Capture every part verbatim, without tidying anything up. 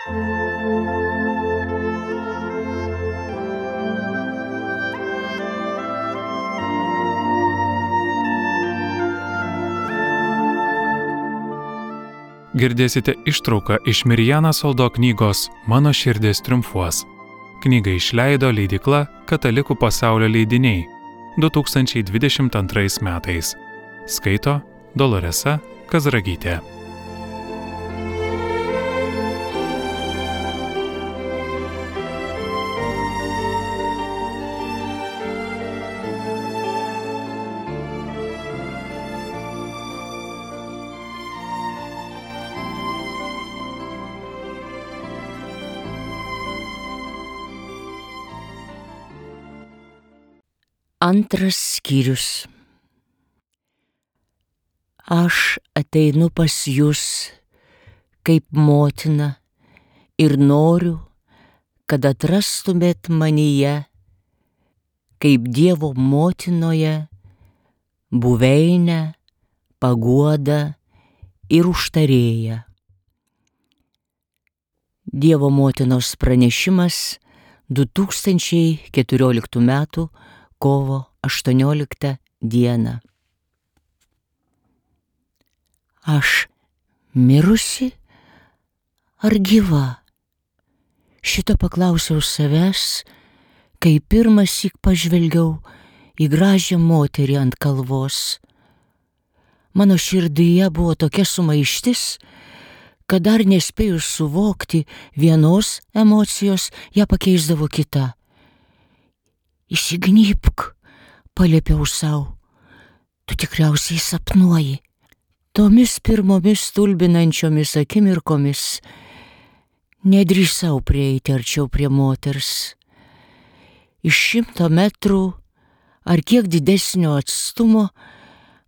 Girdėsite ištrauką iš Mirjana Soldo knygos Mano širdis triumfuos. Knygą išleido leidykla Katalikų pasaulio leidiniai du tūkstančiai dvidešimt antrais metais. Skaito Doloresa Kazragytė. Antras skyrius. Aš ateinu pas jus kaip motina ir noriu, kad atrastumėt manyje, kaip Dievo motinoje, buveinę, paguodą ir užtarėją. Dievo motinos pranešimas du tūkstančiai keturioliktų metų kovo aštuonioliktą dieną. Aš mirusi ar gyva? Šito paklausiau savęs, kai pirmąsyk pažvelgiau į gražią moterį ant kalvos. Mano širdyje buvo tokia sumaištis, kad dar nespėjus suvokti vienos emocijos, ją pakeisdavo kita. Įsignypk, paliepiau sau, tu tikriausiai sapnuoji. Tomis pirmomis stulbinančiomis akimirkomis nedrįsau prieiti arčiau prie moters. Iš šimto metrų ar kiek didesnio atstumo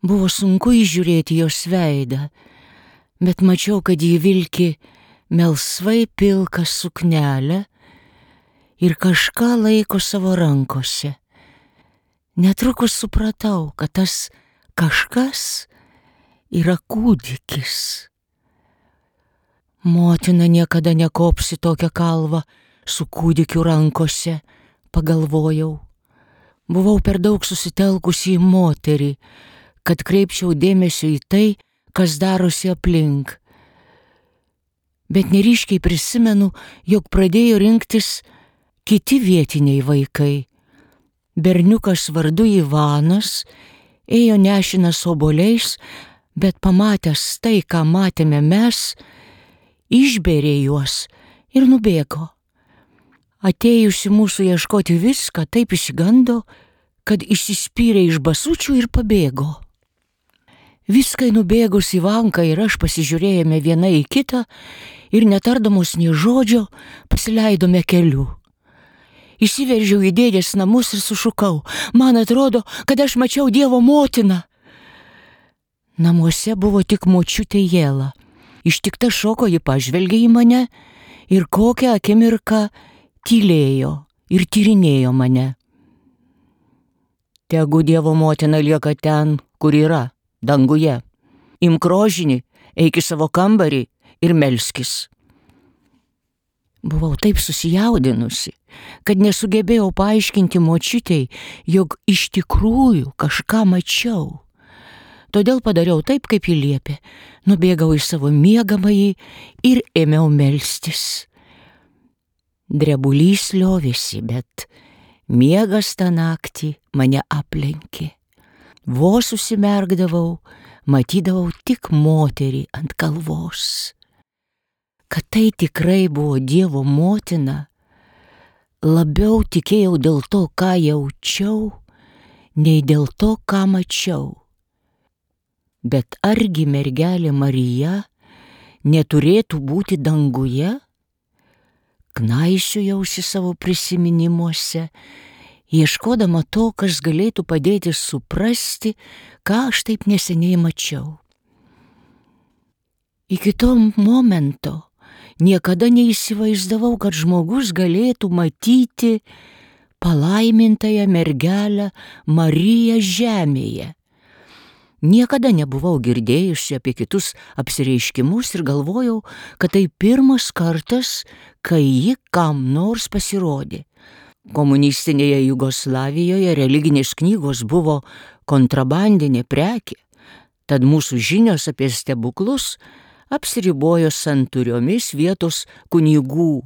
buvo sunku įžiūrėti jos veidą, bet mačiau, kad ji vilki melsvai pilką suknelę ir kažką laiko savo rankose. Netrukus supratau, kad tas kažkas yra kūdikis. Motina niekada nekopsi tokią kalvą su kūdikiu rankose, pagalvojau. Buvau per daug susitelkusi į moterį, kad kreipčiau dėmesio į tai, kas darosi aplink. Bet neryškiai prisimenu, jog pradėjo rinktis kiti vietiniai vaikai. Berniukas vardu Ivanas ėjo nešinas obuoliais, bet pamatęs tai, ką matėme mes, išbėrė juos ir nubėgo. Atėjusi mūsų ieškoti viską, taip išsigando, kad išsispyrė iš basučių ir pabėgo. Viskai nubėgus Ivanka ir aš pasižiūrėjome viena į kitą ir netardamos nė žodžio pasileidome keliu. Įsiveržiau į dėdės namus ir sušukau. Man atrodo, kad aš mačiau Dievo motiną. Namuose buvo tik močiutė Jėla. Ištikta šoko ji pažvelgė į mane ir kokią akimirką tylėjo ir tyrinėjo mane. Tegu Dievo motina lieka ten, kur yra, danguje. Imk rožinį, eik į savo kambarį ir melskis. Buvau taip susijaudinusi, kad nesugebėjau paaiškinti močiutei, jog iš tikrųjų kažką mačiau. Todėl padariau taip, kaip ji liepė. Nubėgau į savo miegamąjį ir ėmiau melstis. Drebulys liovėsi, bet miegas tą naktį mane aplenkė. Vos užsimerkdavau, matydavau tik moterį ant kalvos. Kad tai tikrai buvo Dievo motina, labiau tikėjau dėl to, ką jaučiau, nei dėl to, ką mačiau. Bet argi mergelė Marija neturėtų būti danguje? Knaisiojuosi savo prisiminimuose, ieškodama to, kas galėtų padėti suprasti, ką aš taip neseniai mačiau. Iki to momento niekada neįsivaizdavau, kad žmogus galėtų matyti palaimintąją mergelę Mariją žemėje. Niekada nebuvau girdėjusi apie kitus apsireiškimus ir galvojau, kad tai pirmas kartas, kai ji kam nors pasirodė. Komunistinėje Jugoslavijoje religinės knygos buvo kontrabandinė prekė, tad mūsų žinios apie stebuklus apsiribojo santūriomis vietos kunigų,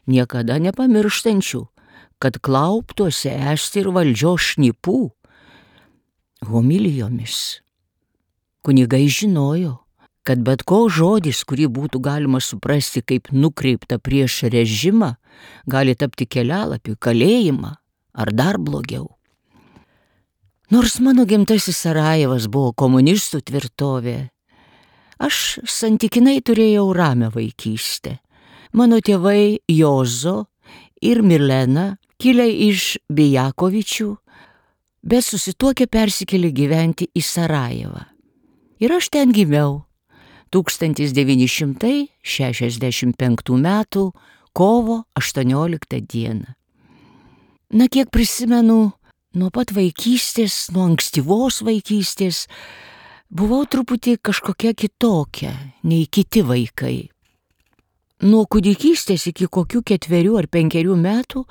niekada nepamirštančių, kad klauptuose esti ir valdžios šnipų, homilijomis. Kunigai žinojo, kad bet koks žodis, kurį būtų galima suprasti kaip nukreipta prieš režimą, gali tapti kelialapiu kalėjimą ar dar blogiau. Nors mano gimtasis Sarajevas buvo komunistų tvirtovė, aš santykinai turėjau ramią vaikystę. Mano tėvai Jozo ir Milena, kilę iš Bijakovičių, bet susituokę persikėlė gyventi į Sarajevą. Ir aš ten gimiau tūkstantis devyni šimtai šešiasdešimt penktų metų kovo aštuonioliktą dieną. Na, kiek prisimenu, nuo pat vaikystės, nuo ankstyvos vaikystės, buvau truputį kažkokia kitokia nei kiti vaikai. Nuo kūdikystės iki kokių ketverių ar penkerių metų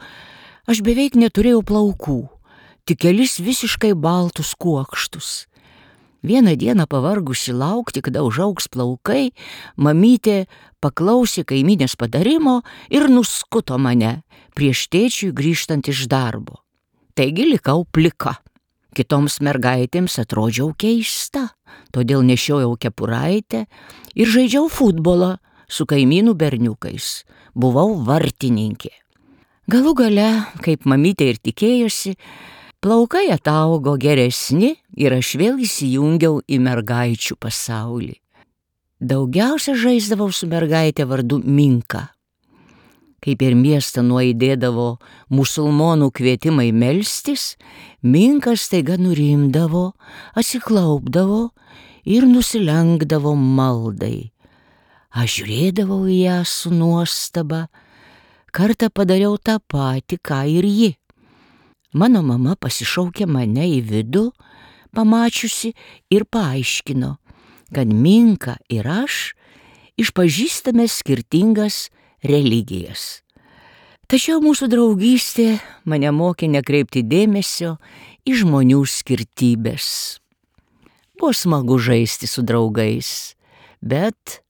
aš beveik neturėjau plaukų, tik kelis visiškai baltus kuokštus. Vieną dieną pavargusi laukti, kada užaugs plaukai, mamytė paklausė kaimynės patarimo ir nuskuto mane prieš tėčiui grįžtant iš darbo. Taigi likau plika. Kitoms mergaitėms atrodžiau keista, todėl nešiojau kepuraitę ir žaidžiau futbolą su kaimynų berniukais. Buvau vartininkė. Galų gale, kaip mamytė ir tikėjosi, plaukai ataugo geresni ir aš vėl įsijungiau į mergaičių pasaulį. Daugiausia žaisdavau su mergaitė vardu Minka. Kai per miestą nuaidėdavo musulmonų kvietimai melstis, Minka staiga nurimdavo, atsiklaupdavo ir nusilenkdavo maldai. Aš žiūrėdavau į ją su nuostaba, kartą padariau tą patį, ką ir ji. Mano mama pasišaukė mane į vidų, pamačiusi ir paaiškino, kad Minka ir aš išpažįstame skirtingas religijas. Tačiau mūsų draugystė mane mokė nekreipti dėmesio į žmonių skirtybės. Buvo smagu žaisti su draugais, bet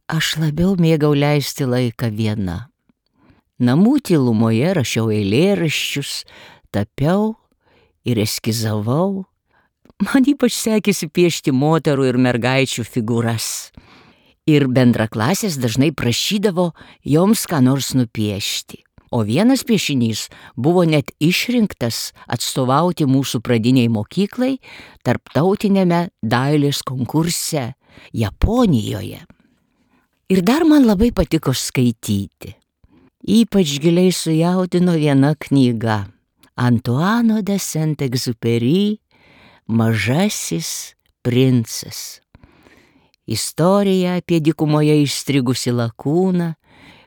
aš labiau mėgau leisti laiką viena. Namų tylumoje rašiau eilėraščius, tapiau ir eskizavau. Man ypač sekėsi piešti moterų ir mergaičių figūras. Ir bendraklasės dažnai prašydavo joms ką nors nupiešti. O vienas piešinys buvo net išrinktas atstovauti mūsų pradiniai mokyklai tarptautiniame dailės konkurse Japonijoje. Ir dar man labai patiko skaityti. Ypač giliai sujaudino viena knyga. Antuano de Saint-Exupéry Mažasis princas. Istorija apie dykumoje įstrigusi lakūną,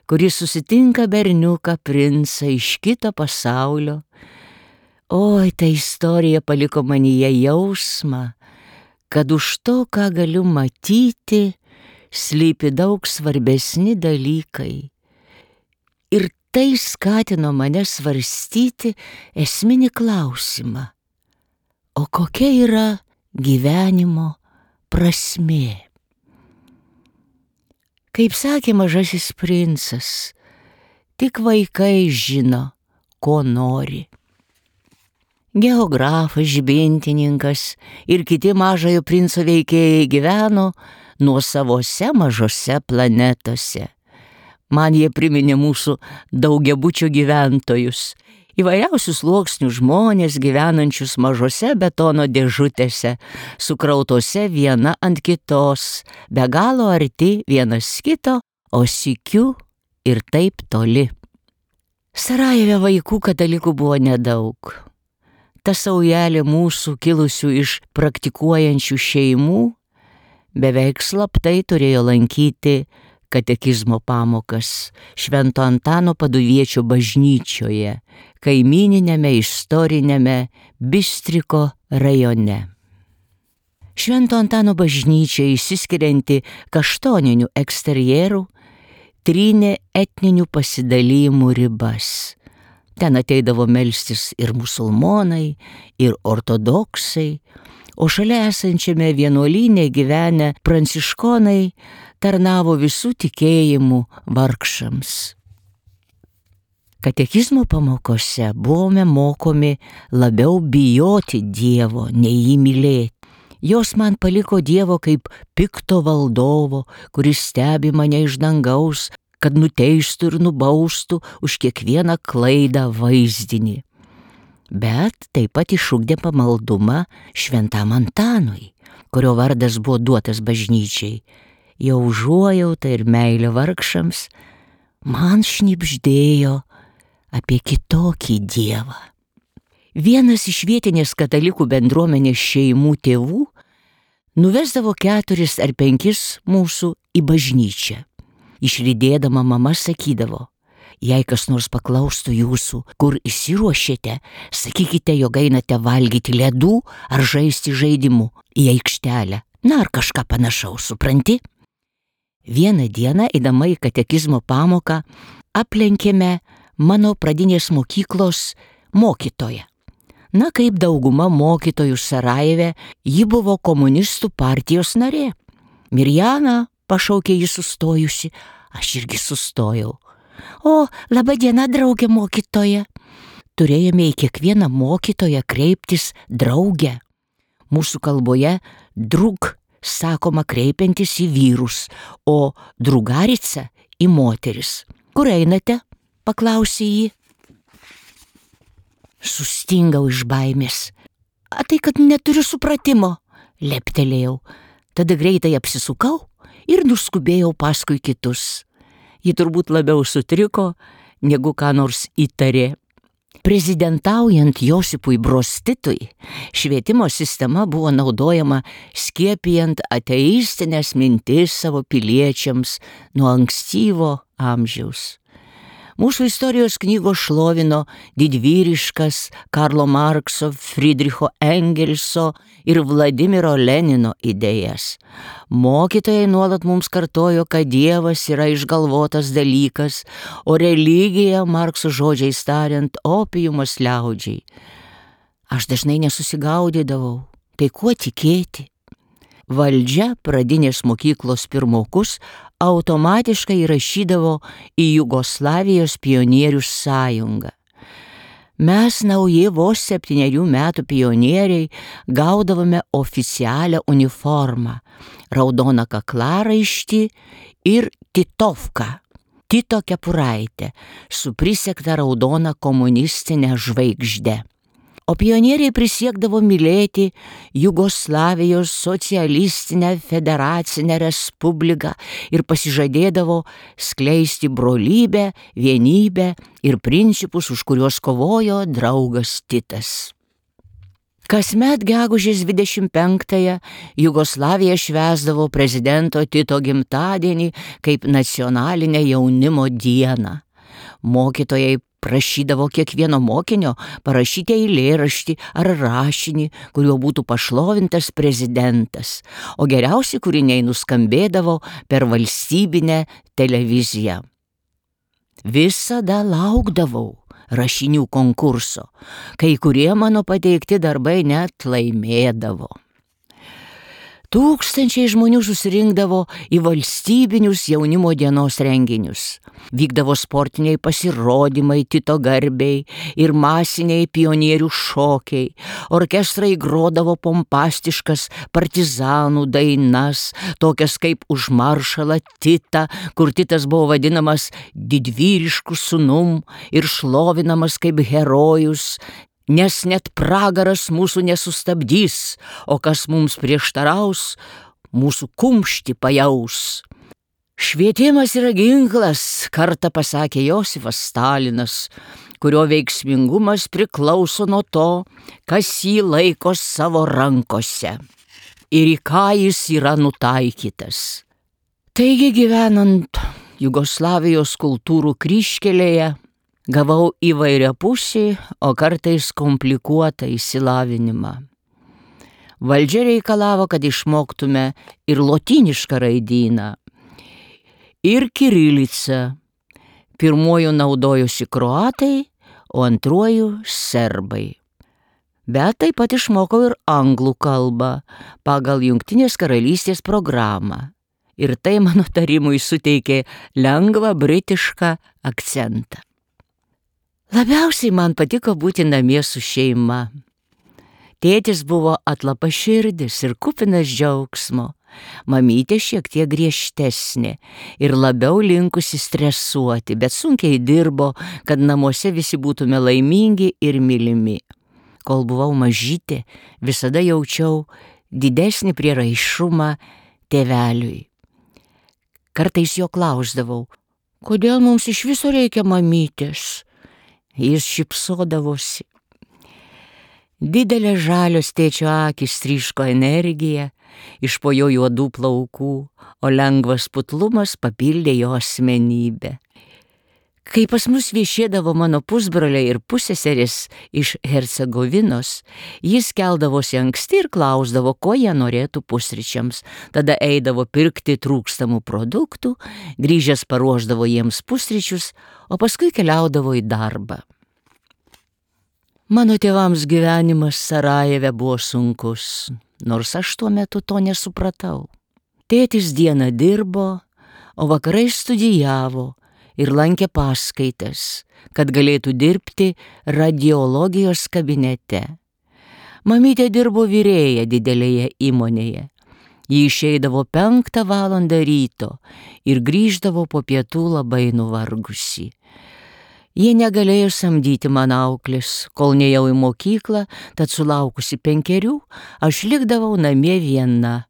kuris susitinka berniuką princą iš kito pasaulio. Oi, ta istorija paliko manyje jausmą, kad už to, ką galiu matyti, slypi daug svarbesni dalykai. Ir tai skatino mane svarstyti esminį klausimą. O kokia yra gyvenimo prasmė? Kaip sakė Mažasis princas, tik vaikai žino, ko nori. Geografas, žibintininkas ir kiti Mažojo princo veikėjai gyveno nuosavose mažose planetose. Man jie priminė mūsų daugiabučio gyventojus, įvairiausių sluoksnių žmonės gyvenančius mažose betono dėžutėse, sukrautose viena ant kitos, be galo arti vienas kito, o sykiu ir taip toli. Sarajeve vaikų katalikų buvo nedaug. Ta saujelė mūsų kilusių iš praktikuojančių šeimų beveik slaptai turėjo lankyti katekizmo pamokas Švento Antano Paduviečio bažnyčioje, kaimyniniame istoriniame Bistriko rajone. Švento Antano bažnyčia, išsiskirianti kaštoninių eksterjerų, trynė etninių pasidalymų ribas. Ten ateidavo melstis ir musulmonai, ir ortodoksai, o šalia esančiame vienuolyne gyvenę pranciškonai tarnavo visų tikėjimų vargšams. Katekizmo pamokose buvome mokomi labiau bijoti Dievo, nei jį mylėti. Jos man paliko Dievo kaip pikto valdovo, kuris stebi mane iš dangaus, kad nuteistų ir nubaustų už kiekvieną klaidą vaizdinį. Bet taip pat išugdė pamaldumą šventam Antanui, kurio vardas buvo duotas bažnyčiai. Jo užuojauta ir meilė vargšams man šnibždėjo apie kitokį Dievą. Vienas iš vietinės katalikų bendruomenės šeimų tėvų nuvesdavo keturis ar penkis mūsų į bažnyčią. Išlydėdama mama sakydavo: jei kas nors paklaustų jūsų, kur išsiruošėte, sakykite, jog einate valgyti ledų ar žaisti žaidimų į aikštelę. Na, ar kažką panašaus, supranti? Vieną dieną, eidama į katekizmo pamoką, aplenkėme mano pradinės mokyklos mokytoją. Na, kaip dauguma mokytojų Sarajeve, ji buvo komunistų partijos narė. Mirjana, pašaukė ji sustojusi, aš irgi sustojau. O, laba diena, draugė mokytoja. Turėjome į kiekvieną mokytoją kreiptis draugę. Mūsų kalboje drug sakoma kreipiantis į vyrus, o drugarica į moteris. Kur einate? Paklausė jį. Sustingau iš baimės. A tai, kad neturiu supratimo, leptelėjau. Tada greitai apsisukau ir nuskubėjau paskui kitus. Ji turbūt labiau sutriko, negu ką nors įtarė. Prezidentaujant Josipui Broz Titui, švietimo sistema buvo naudojama skiepijant ateistinės mintis savo piliečiams nuo ankstyvo amžiaus. Mūsų istorijos knygos šlovino didvyriškas Karlo Markso, Friedricho Engelso ir Vladimiro Lenino idėjas. Mokytojai nuolat mums kartojo, kad Dievas yra išgalvotas dalykas, o religija, Markso žodžiais tariant, opiumas liaudžiai. Aš dažnai nesusigaudydavau, tai kuo tikėti? Valdžia pradinės mokyklos pirmokus automatiškai įrašydavo į Jugoslavijos pionierių sąjungą. Mes, nauji vos septynerių metų pionieriai, gaudavome oficialią uniformą, raudoną kaklaraištį ir titovką, Tito kepuraitę, su prisegta raudona komunistinė žvaigžde. O pionieriai prisiekdavo mylėti Jugoslavijos socialistinę federacinę respubliką ir pasižadėdavo skleisti brolybę, vienybę ir principus, už kuriuos kovojo draugas Titas. Kasmet gegužės dvidešimt penktąją Jugoslavija švęsdavo prezidento Tito gimtadienį kaip nacionalinę jaunimo dieną. Mokytojai prašydavo kiekvieno mokinio parašyti eilėraštį ar rašinį, kuriuo būtų pašlovintas prezidentas, o geriausi kūriniai nuskambėdavo per valstybinę televiziją. Visada laukdavau rašinių konkurso, kai kurie mano pateikti darbai net laimėdavo. Tūkstančiai žmonių susirinkdavo į valstybinius jaunimo dienos renginius. Vykdavo sportiniai pasirodymai Tito garbei ir masiniai pionierių šokiai. Orkestrai grodavo pompastiškas partizanų dainas, tokias kaip Už maršalą Titą, kur Titas buvo vadinamas didvyrišku sūnum ir šlovinamas kaip herojus. Nes net pragaras mūsų nesustabdys, o kas mums prieštaraus, mūsų kumštį pajaus. Švietimas yra ginklas, kartą pasakė Josifas Stalinas, kurio veiksmingumas priklauso nuo to, kas jį laiko savo rankose ir į ką jis yra nutaikytas. Taigi, gyvenant Jugoslavijos kultūrų kryžkelėje, gavau įvairiapusį, o kartais komplikuotą išsilavinimą. Valdžia reikalavo, kad išmoktume ir lotynišką raidyną, ir kirilicą. Pirmuoju naudojosi kroatai, o antruoju serbai. Bet taip pat išmokau ir anglų kalbą pagal Jungtinės karalystės programą. Ir tai mano tarimui suteikė lengvą britišką akcentą. Labiausiai man patiko būti namie su šeima. Tėtis buvo atlapaširdis ir kupinas džiaugsmo. Mamytė šiek tiek griežtesnė ir labiau linkusi stresuoti, bet sunkiai dirbo, kad namuose visi būtume laimingi ir mylimi. Kol buvau mažytė, visada jaučiau didesnį prieraišumą tėveliui. Kartais jo klausdavau, kodėl mums iš viso reikia mamytės? Jis šypsodavosi. Didelės žalios tėčio akys tryško energiją, iš po jo juodų plaukų, o lengvas putlumas papildė jo asmenybę. Kai pas mus viešėdavo mano pusbroliai ir pusseserės iš Hercegovinos, jis keldavosi anksti ir klausdavo, ko jie norėtų pusryčiams. Tada eidavo pirkti trūkstamų produktų, grįžęs paruošdavo jiems pusryčius, o paskui keliaudavo į darbą. Mano tėvams gyvenimas Sarajeve buvo sunkus, nors aš tuo metu to nesupratau. Tėtis dieną dirbo, o vakarais studijavo ir lankė paskaitas, kad galėtų dirbti radiologijos kabinete. Mamytė dirbo virėja didelėje įmonėje. Ji išeidavo penktą valandą ryto ir grįždavo po pietų labai nuvargusi. Jie negalėjo samdyti man auklės, kol nejau į mokyklą, tad sulaukusi penkerių, aš likdavau namie viena.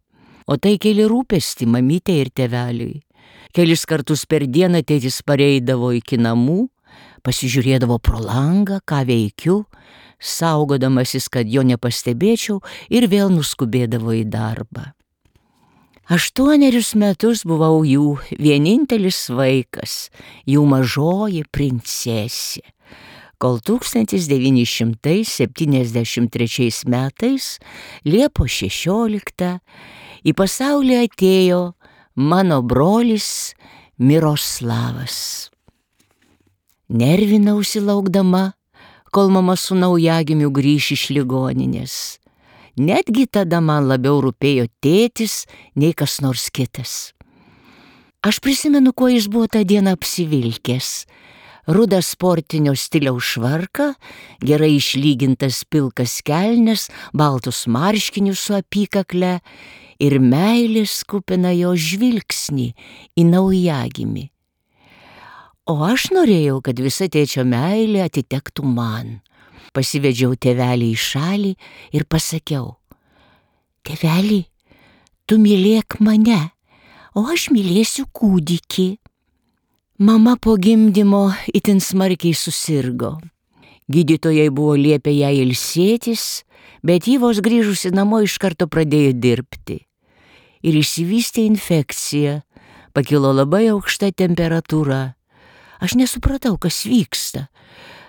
O tai kėlė rūpestį mamytė ir tėveliui. Kelis kartus per dieną tėtis pareidavo iki namų, pasižiūrėdavo pro langą, ką veikiu, saugodamasis, kad jo nepastebėčiau, ir vėl nuskubėdavo į darbą. Aštuonerius metus buvau jų vienintelis vaikas, jų mažoji princesė, kol tūkstantis devyni šimtai septyniasdešimt trečiais metais, Liepos šešioliktą, į pasaulį atėjo mano brolis Miroslavas. Nervinausi laukdama, kol mama su naujagimiu grįš iš ligoninės. Netgi tada man labiau rūpėjo tėtis nei kas nors kitas. Aš prisimenu, kuo jis buvo tą dieną apsivilkęs. Rudą sportinio stiliaus švarką, gerai išlygintas pilkas kelnes, baltus marškinius su apykakle ir meilės kupiną jo žvilgsnį į naujagimį. O aš norėjau, kad visa tėčio meilė atitektų man. Pasivedžiau tėvelį į šalį ir pasakiau: tėvelį, tu mylėk mane, o aš mylėsiu kūdikį. Mama po gimdymo itin smarkiai susirgo. Gydytojai buvo liepę jai ilsėtis, bet ji vos grįžusi namo iš karto pradėjo dirbti. Ir išsivystė infekcija, pakilo labai aukšta temperatūra. Aš nesupratau, kas vyksta,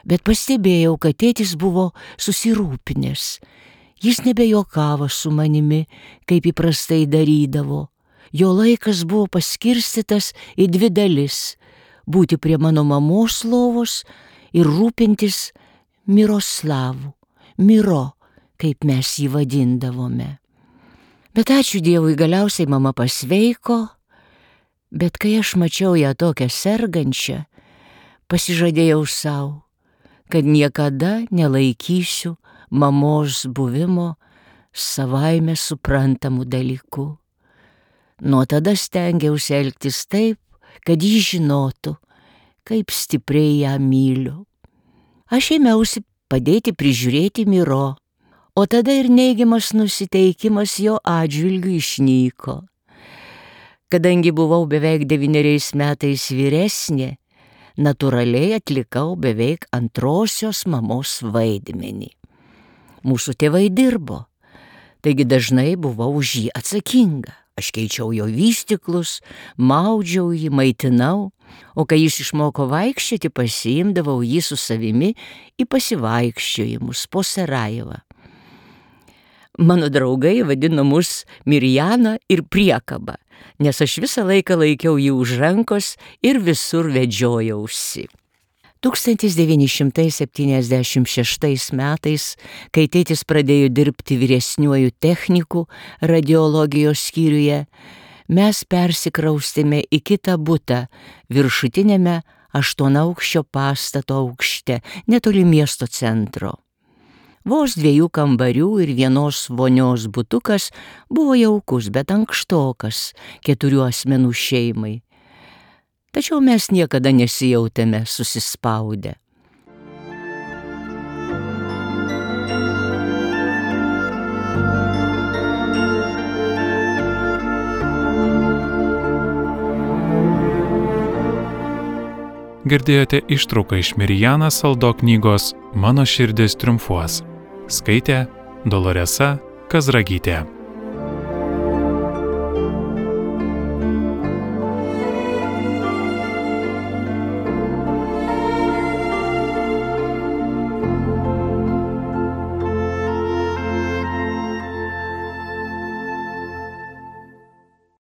bet pastebėjau, kad tėtis buvo susirūpinęs. Jis nebejuokavo su manimi, kaip įprastai darydavo. Jo laikas buvo paskirstytas į dvi dalis – būti prie mano mamos lovos ir rūpintis Miroslavu, Miro, kaip mes jį vadindavome. Bet ačiū Dievui, galiausiai mama pasveiko, bet kai aš mačiau ją tokią sergančią, pasižadėjau sau, kad niekada nelaikysiu mamos buvimo savaime suprantamų dalykų. Nuo tada stengiausi elgtis taip, kad ji žinotų, kaip stipriai ją myliu. Aš ėmiausi padėti prižiūrėti Miro, o tada ir neigiamas nusiteikimas jo atžvilgiu išnyko. Kadangi buvau beveik devyneriais metais vyresnė, natūraliai atlikau beveik antrosios mamos vaidmenį. Mūsų tėvai dirbo, taigi dažnai buvau už jį atsakinga. Aš keičiau jo vystyklus, maudžiau jį, maitinau, o kai jis išmoko vaikščioti, pasiimdavau jį su savimi į pasivaikščiojimus po Sarajevą. Mano draugai vadino mus Mirjana ir Priekaba, nes aš visą laiką laikiau jį už rankos ir visur vedžiojausi. tūkstantis devyni šimtai septyniasdešimt šeštais metais, kai tėtis pradėjo dirbti vyresniuoju techniku radiologijos skyriuje, mes persikraustėme į kitą butą viršutinėme aštuonaukščio pastato aukšte, netoli miesto centro. Vos dviejų kambarių ir vienos vonios butukas buvo jaukus, bet ankštokas keturių asmenų šeimai. Tačiau mes niekada nesijautėme susispaudę. Girdėjote ištrauką iš Mirjana Saldo knygos Mano širdis triumfuos. Skaitė Doloresa Kazragytė.